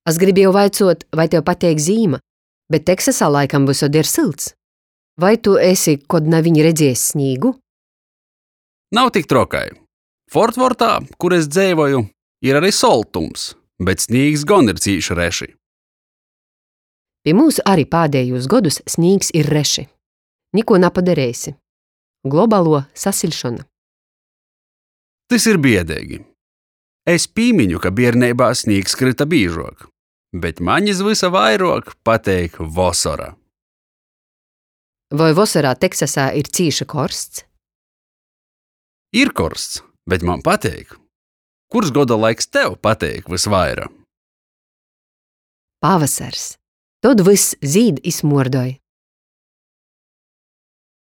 Es gribēju vaicuot, vai tev pateik zīma, bet Teksasā laikam vysod ir sylts. Vai tu esi kod naviņ redziejs snīgu? Nav tik trokai. Fortvortā, kur es dzeivoju, ir arī soltums, bet snīgs gon ir cīši reši. Pi mūsu arī pādējūs godus snīgs ir reši. Niko napadarēsi. Globālo sasiļšona. Tys ir biedīgi. Es pīmiņu, ka bierneibā snīgs kryta bīžuok, bet maņ iz vysa vairuok pateik vosora. Voi vosorā Teksasā ir cīši korsts? Ir korsts, bet man pateik. Kurs goda laiks tev pateik vysvaira? Pavasars. Tod vyss zīd i smuordoj.